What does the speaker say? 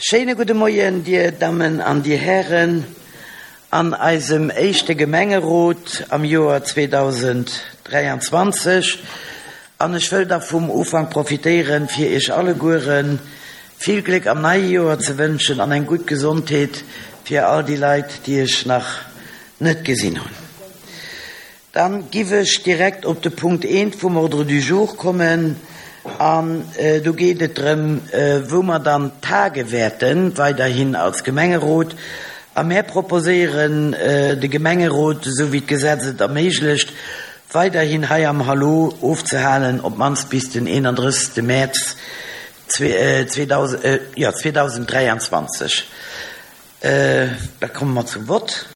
Schéine gudde Moien, Dir Dammen an Dir Hären, an eisem éischte Gemengerot am Joer 2023. An ech wëll da vum Ufank profitéieren, fir Iech allegueren vill Gléck am neie Joer ze wënschen an eng gutt Gesondheet fir all déi Leit, déi ech nach net gesinn hunn. Dann giff ech direkt op de Punkt eent vum Ordre du jour kommen an do geet et drëm, wou mer dann tage wäerten, weiderhin als Gemengerot. A mär proposéieren de Gemengerot, esou wéi d'Gesetz et erméiglecht, weiderhin hei am Hallo ofzehalen, op d'mannst bis den 31. Mäerz 2023. Da komme mer zum Vott.